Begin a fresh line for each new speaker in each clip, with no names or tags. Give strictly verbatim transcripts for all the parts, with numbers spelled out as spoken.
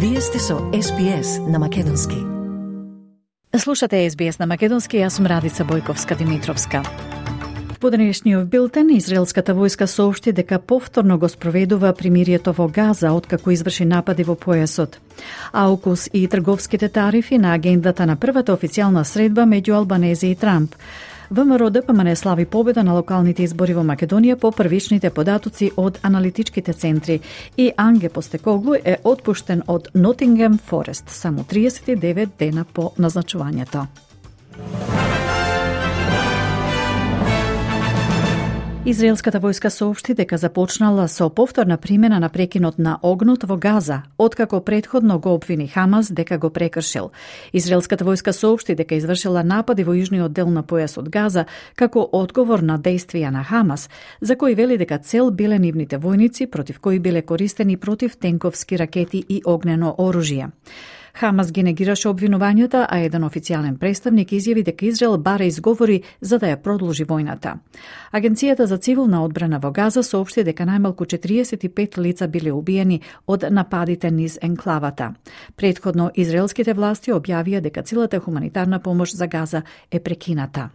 Вие сте со Ес Би Ес на македонски.
Слушате Ес Би Ес на македонски, јас сум Радица Бојковска-Димитровска. По денешниот билтен, израелската војска соопшти дека повторно го спроведува примирието во Газа откако изврши напади во појасот. АУКУС и трговските тарифи на агендата на првата официјална средба меѓу Албанезе и Трамп. ВМРО-ДПМН слави победа на локалните избори во Македонија по првичните податоци од аналитичките центри и Анге Постекоглу е отпуштен од Нотингем Форест само триесет и девет дена по назначувањето. Израелската војска соопшти дека започнала со повторна примена на прекинот на огнот во Газа, откако претходно го обвини Хамас дека го прекршил. Израелската војска соопшти дека извршила напади во јужниот дел на појасот Газа како одговор на действија на Хамас, за кои вели дека цел биле нивните војници против кои биле користени противтенковски ракети и огнено оружје. Хамас ги негираше обвинувањата, а еден официјален представник изјави дека Израел бара изговори за да ја продолжи војната. Агенцијата за цивилна одбрана во Газа соопшти дека најмалку четириесет и пет лица биле убиени од нападите низ енклавата. Претходно, израелските власти објавија дека целата хуманитарна помош за Газа е прекината.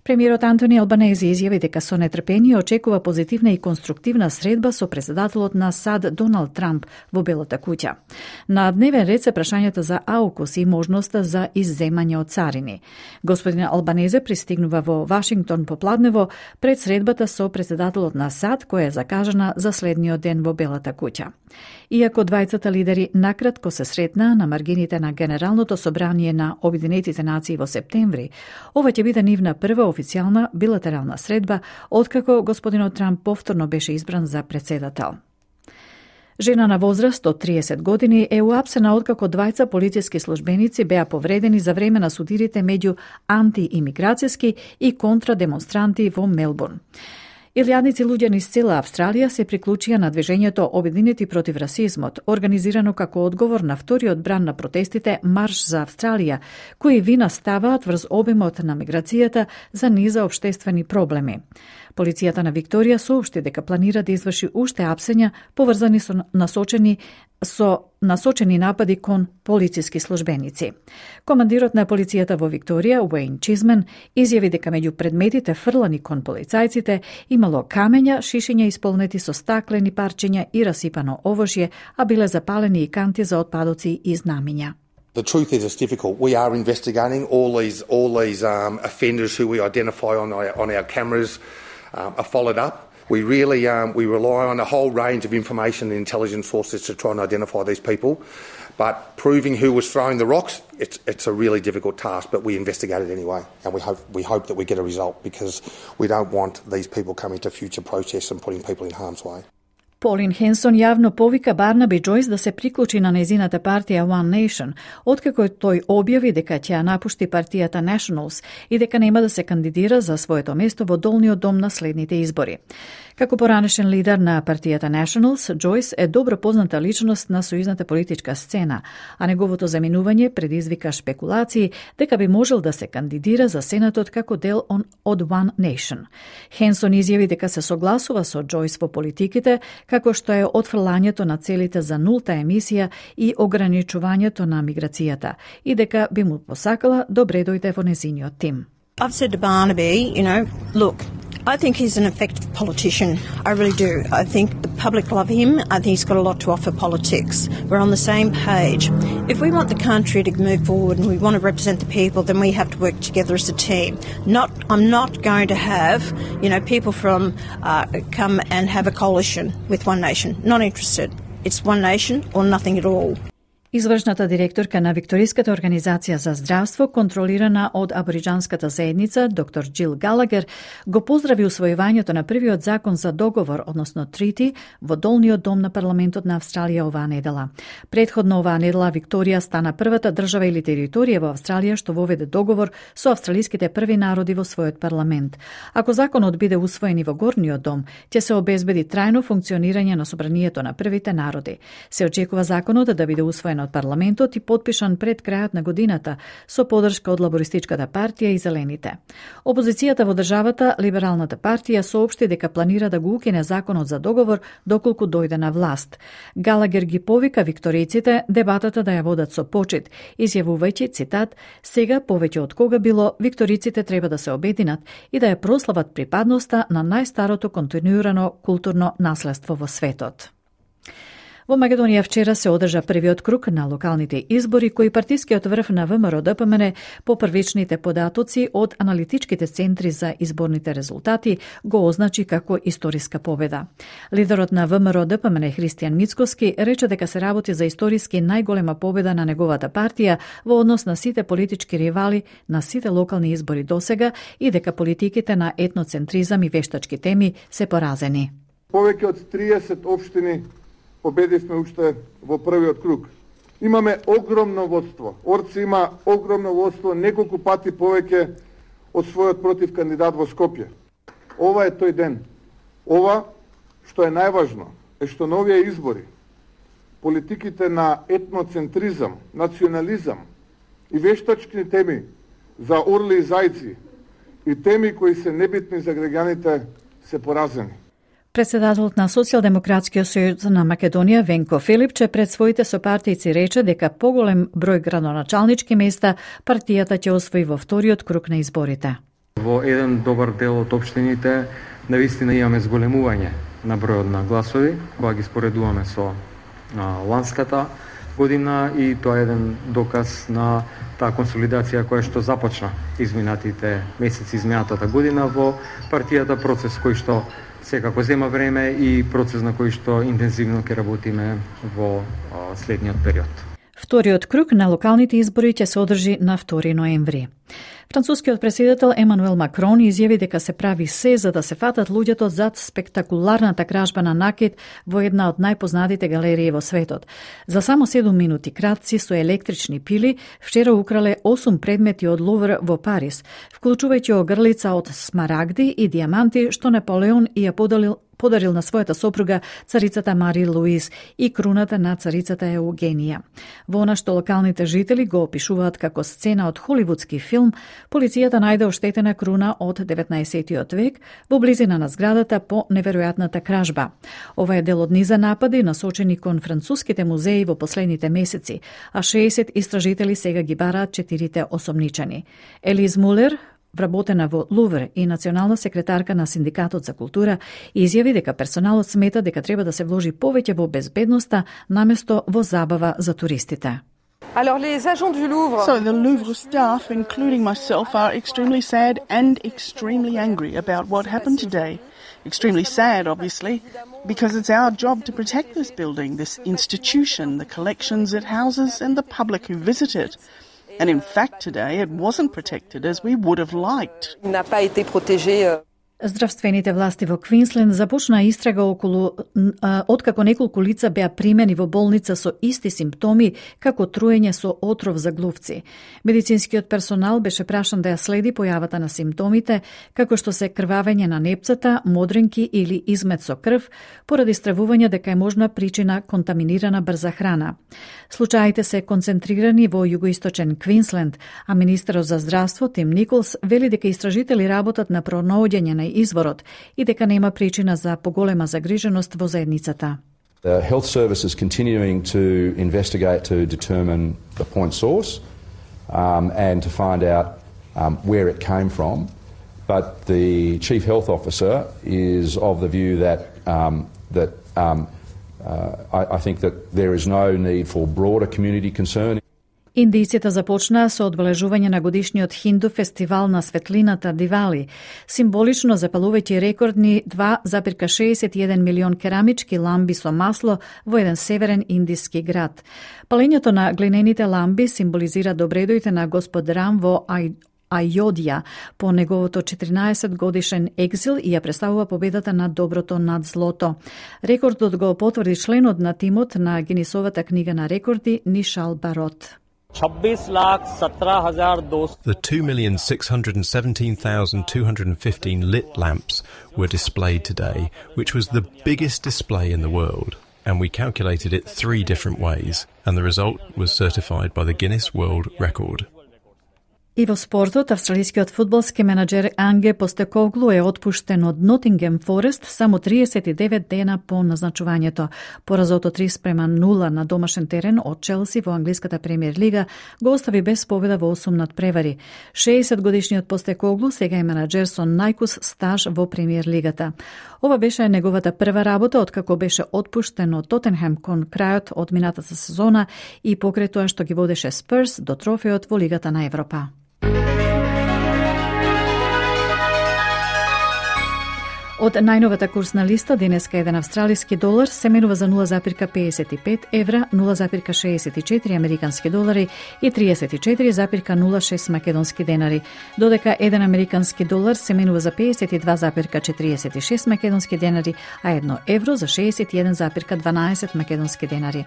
Премиерот Антони Албанезе изјави дека со нетрпение очекува позитивна и конструктивна средба со председателот на САД Доналд Трамп во Белата куќа. На дневен ред се прашањата за АУКУС и можноста за изземање од царини. Господин Албанезе пристигнува во Вашингтон попладнево пред средбата со председателот на САД која е закажана за следниот ден во Белата куќа. Иако двајцата лидери накратко се сретнаа на маргините на Генералното собрание на Обединетите нации во септември, ова ќе биде нивна прва официјална билатерална средба откако господинот Трамп повторно беше избран за председател. Жена на возраст од триесет години е уапсена откако двајца полициски службеници беа повредени за време на судирите меѓу антиимиграцијски и контрадемонстранти во Мелбурн. Илјадници луѓе низ цела Австралија се приклучија на движењето Обединети против расизмот, организирано како одговор на вториот бран на протестите Марш за Австралија, кои вина ставаат врз обемот на миграцијата за низа општествени проблеми. Полицијата на Викторија соопшти дека планира да изврши уште апсења поврзани со насочени со насочени напади кон полициски службеници. Командирот на полицијата во Викторија, Уейн Чизмен, изјави дека меѓу предметите фрлани кон полицајците имало камења, шишиња исполнети со стаклени парчиња и расипано овошје, а биле запалени и канти за отпадоци и знамиња.
The truth is, it's difficult. We are investigating all these all these um, offenders who we identify on our, on our cameras um, are followed up. We really um, we rely on a whole range of information and intelligence sources to try and identify these people. But proving who was throwing the rocks, it's it's a really difficult task. But we investigate it anyway, and we hope we hope that we get a result because we don't want these people coming to future protests and putting people in harm's way.
Полин Хенсон јавно повика Барнаби Џојс да се приклучи на нејзината партија One Nation, откако тој објави дека ќе ја напушти партијата Nationals и дека нема да се кандидира за своето место во долниот дом на следните избори. Како поранешен лидер на партијата Nationals, Џојс е добро позната личност на сојузната политичка сцена, а неговото заминување предизвика шпекулации дека би можел да се кандидира за Сенатот како дел од One Nation. Хенсон изјави дека се согласува со Џојс во политиките, како што е отфрлањето на целите за нулта емисија и ограничувањето на миграцијата, и дека би му посакала добре дојде во незиниот тим.
I've said to Barnaby, you know, look, I think he's an effective politician. I really do. I think the public love him. I think he's got a lot to offer politics. We're on the same page. If we want the country to move forward and we want to represent the people, then we have to work together as a team. Not, I'm not going to have, you know, people from uh, come and have a coalition with One Nation. Not interested. It's One Nation or nothing at all.
Извршната директорка на Викториската организација за здравство, контролирана од абориџанската заедница, доктор Џил Галагер, го поздрави усвојувањето на првиот закон за договор, односно трити, во долниот дом на парламентот на Австралија оваа недела. Предходно оваа недела Викторија стана првата држава или територија во Австралија што воведе договор со австралиските први народи во својот парламент. Ако законот биде усвоен и во горниот дом, ќе се обезбеди трајно функционирање на собранието на првите народи. Се очекува законот да биде усвоен одобрен од парламентот и подпишан пред крајот на годината со поддршка од Лабористичката партија и Зелените. Опозицијата во државата, Либералната партија, соопшти дека планира да го укине законот за договор доколку дојде на власт. Галагер ги повика викторијците дебатата да ја водат со почит, изјавувајќи, цитат, сега повеќе од кога било, викторијците треба да се обединат и да ја прослават припадноста на најстарото континуирано културно наследство во светот. Во Македонија вчера се одржа првиот круг на локалните избори кои партискиот врв на ВМРО-ДПМН по првичните податоци од аналитичките центри за изборните резултати го означи како историска победа. Лидерот на ВМРО-ДПМН Христијан Мицкоски рече дека се работи за историски најголема победа на неговата партија во однос на сите политички ривали на сите локални избори досега и дека политиките на етноцентризам и вештачки теми се поразени.
Повеќе од триесет општини победивме уште во првиот круг. Имаме огромно водство. Орци има огромно водство, неколку пати повеќе од својот против кандидат во Скопје. Ова е тој ден. Ова, што е најважно, е што на овие избори политиките на етноцентризам, национализам и вештачки теми за орли и зајци и теми кои се небитни за граѓаните се поразени.
Председателот на Социјалдемократскиот сојуз на Македонија Венко Филипче пред своите сопартијци рече дека поголем број градоначалнички места партијата ќе освои во вториот круг на изборите.
Во еден добар дел од општините навистина имаме зголемување на бројот на гласови, кога ги споредуваме со а, ланската година, и тоа е еден доказ на таа консолидација која што започна изминатите месеци, изминатата година во партијата, процес кој што секако зема време и процес на кој што интензивно ќе работиме во а, следниот период.
Вториот круг на локалните избори ќе се одржи на втори ноември. Францускиот претседател Емануел Макрон изјави дека се прави се за да се фатат луѓето зад спектакуларната кражба на накит во една од најпознатите галерии во светот. За само седум минути кратци со електрични пили вчера украле осум предмети од Лувр во Париз, вклучувајќи огрлица од смарагди и диаманти што Наполеон ја подарил подарил на својата сопруга царицата Мари Луиз и круната на царицата Еугенија. Во она што локалните жители го опишуваат како сцена од холивудски филм, полицијата најде оштетена круна од деветнаесеттиот век во близина на зградата по неверојатната кражба. Ова е дел од низа напади насочени кон француските музеи во последните месеци, а шеесет истражители сега ги бараат четирите осомничани. Елиз Мулер, вработена во Лувр и национална секретарка на Синдикатот за култура, изјави дека персоналот смета дека треба да се вложи повеќе во безбедноста наместо во забава за туристите.
Alors les agents du Louvre.
So the Louvre staff, including myself, are extremely sad and extremely angry about what happened today. Extremely sad, obviously, because it's our job to protect this building, this institution, the collections it houses and the public who visit it. And in fact today it wasn't protected as we would have liked.
Il n'a pas été protégé.
Здравствените власти во Квинсленд започнаа истрага околу а, откако неколку лица беа примени во болница со исти симптоми како труење со отров за глувци. Медицинскиот персонал беше прашан да ја следи појавата на симптомите, како што се крвавење на непцата, модринки или измет со крв, поради стравување дека е можна причина контаминирана брза храна. Случаите се концентрирани во југоисточен Квинсленд, а министерот за здравство Тим Николс вели дека истражители работат на пронаоѓање на изворот и дека нема причина за поголема загриженост во заедницата.
The health service is continuing to investigate to determine the point source um, and to find out um, where it came from. But the chief health officer is of the view that um, that um, uh, I, I think that there is no need for broader community concern.
Индијците започнаа со одбележување на годишниот хинду фестивал на светлината Дивали, символично запалувајќи рекордни два зарез шеесет и еден милион керамички ламби со масло во еден северен индиски град. Палењето на глинените ламби символизира добредојте на господ Рам во Ај Ајодија по неговото четиринаесет годишен екзил и ја представува победата над доброто над злото. Рекордот го потврди членот на тимот на Гинисовата книга на рекорди Нишал Барот.
The two million six hundred seventeen thousand two hundred fifteen lit lamps were displayed today, which was the biggest display in the world. and we calculated it three different ways, and the result was certified by the Guinness World Record.
И во спортот, австралискиот фудбалски менаџер Анге Постекоглу е отпуштен од Нотингем Форест само триесет и девет дена по назначувањето. Поразото три спрема нула на домашен терен од Челси во англиската премиер лига го остави без победа во осум надпревари. шеесет годишниот Постекоглу сега е менаџер со најкус стаж во премиер лигата. Ова беше неговата прва работа откако беше отпуштен од Тотенхем кон крајот од минатата сезона и покрај тоа што ги водеше Спурс до трофеот во Лигата на Европа. Од најновата курсна листа, денеска еден австралиски долар се менува за нула запирка педесет и пет евра, нула запирка шеесет и четири американски долари и триесет и четири запирка нула шест македонски денари, додека еден американски долар се менува за педесет и два запирка четириесет и шест македонски денари, а едно евро за шеесет и еден запирка дванаесет македонски денари.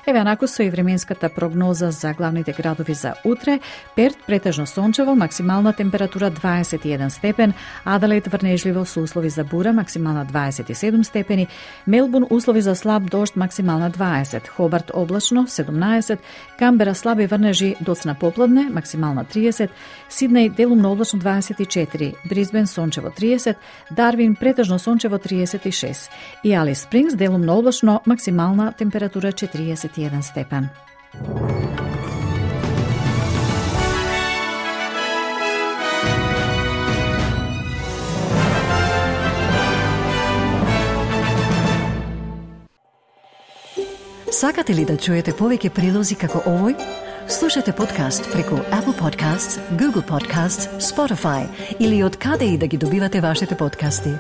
Еве анаку со и временската прогноза за главните градови за утре: Перт претежно сончево, максимална температура дваесет и еден степен, Аделаид врнежливо со услови за бура, максимална дваесет и седум степени, Мелбурн услови за слаб дожд, максимална дваесет, Хобарт облачно седумнаесет, Камбера слаби врнежи доцна попладне, максимална триесет, Сиднеј делумно облачно дваесет и четири, Брисбен сончево триесет, Дарвин претежно сончево триесет и шест и Алис Спрингс делумно облачно, максимална температура четириесет и еден степен.
Сакате ли да чуете повеќе прилози како овој? Слушате подкаст преку Apple Podcasts, Google Podcasts, Spotify или од каде и да ги добивате вашите подкасти.